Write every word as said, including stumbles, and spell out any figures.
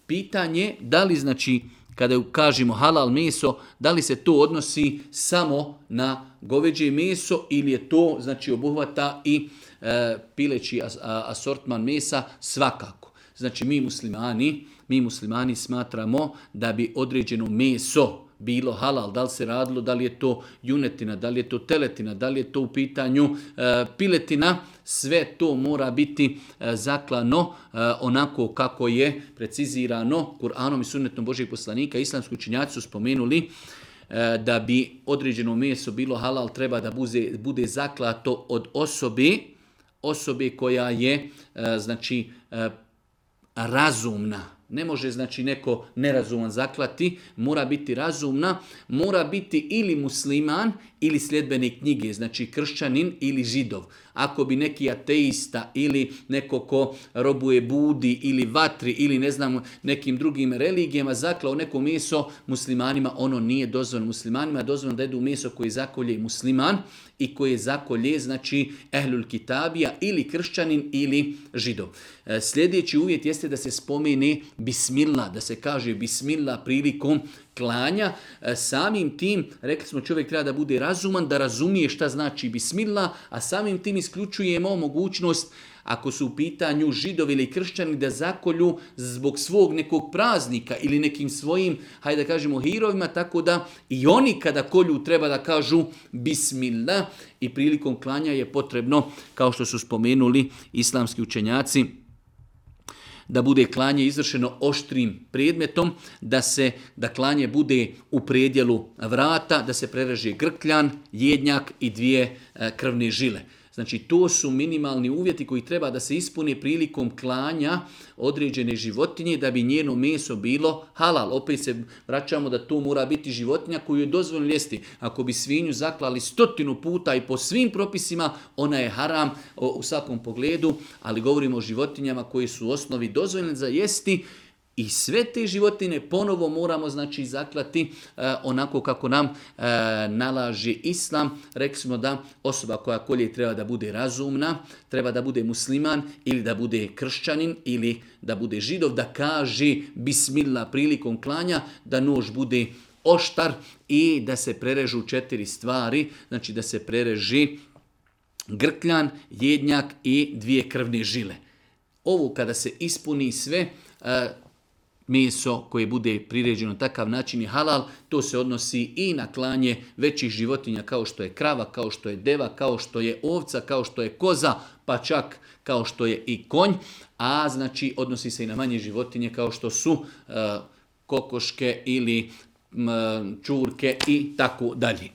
Pitanje da li znači kada kažemo halal meso, da li se to odnosi samo na goveđe meso ili je to znači obuhvata i e, pileći as, a, asortman mesa svakako. Znači mi muslimani, mi muslimani smatramo da bi određeno meso bilo halal, da li se radilo, da li je to junetina, da li je to teletina, da li je to u pitanju e, piletina, sve to mora biti e, zaklano e, onako kako je precizirano Kur'anom i sunnetom Božijeg poslanika. Islamski učenjaci su spomenuli e, da bi određeno meso bilo halal, treba da bude, bude zaklato od osobe, osobe koja je e, znači e, razumna. Ne može znači neko nerazuman zaklati, mora biti razumna, mora biti ili musliman ili sljedbenik knjige, znači kršćanin ili židov. Ako bi neki ateista ili neko ko robuje budi ili vatri ili ne znam nekim drugim religijama zaklao neko meso muslimanima, ono nije dozvoljeno. Muslimanima je dozvoljeno da jedu meso koje zakolje musliman i koje zakolje znači ehlul kitabija ili kršćanin ili židov. Sljedeći uvjet jeste da se spomene bismillah, da se kaže bismillah prilikom klanja. Samim tim, rekli smo, čovjek treba da bude razuman, da razumije šta znači bismillah, a samim tim isključujemo mogućnost ako su u pitanju židovi ili kršćani da zakolju zbog svog nekog praznika ili nekim svojim, hajde da kažemo, hirovima, tako da i oni kada kolju treba da kažu bismillah i prilikom klanja je potrebno, kao što su spomenuli islamski učenjaci, da bude klanje izvršeno oštrim predmetom, da se da klanje bude u predjelu vrata, da se prereže grkljan, jednjak i dvije e, krvne žile. Znači to su minimalni uvjeti koji treba da se ispune prilikom klanja određene životinje da bi njeno meso bilo halal. Opet se vraćamo da to mora biti životinja koju je dozvoljeno jesti. Ako bi svinju zaklali stotinu puta i po svim propisima, ona je haram u svakom pogledu, ali govorimo o životinjama koje su u osnovi dozvoljene za jesti. I sve te životine ponovo moramo znači zaklati e, onako kako nam e, nalaže Islam. Rekli smo da osoba koja kolje treba da bude razumna, treba da bude musliman ili da bude kršćanin ili da bude židov, da kaže bismillah prilikom klanja, da nož bude oštar i da se prerežu četiri stvari, znači da se prereži grkljan, jednjak i dvije krvne žile. Ovo kada se ispuni sve, e, meso koje bude priređeno na takav način je halal, to se odnosi i na klanje većih životinja kao što je krava, kao što je deva, kao što je ovca, kao što je koza, pa čak kao što je i konj, a znači odnosi se i na manje životinje kao što su uh, kokoške ili um, čurke i tako dalje.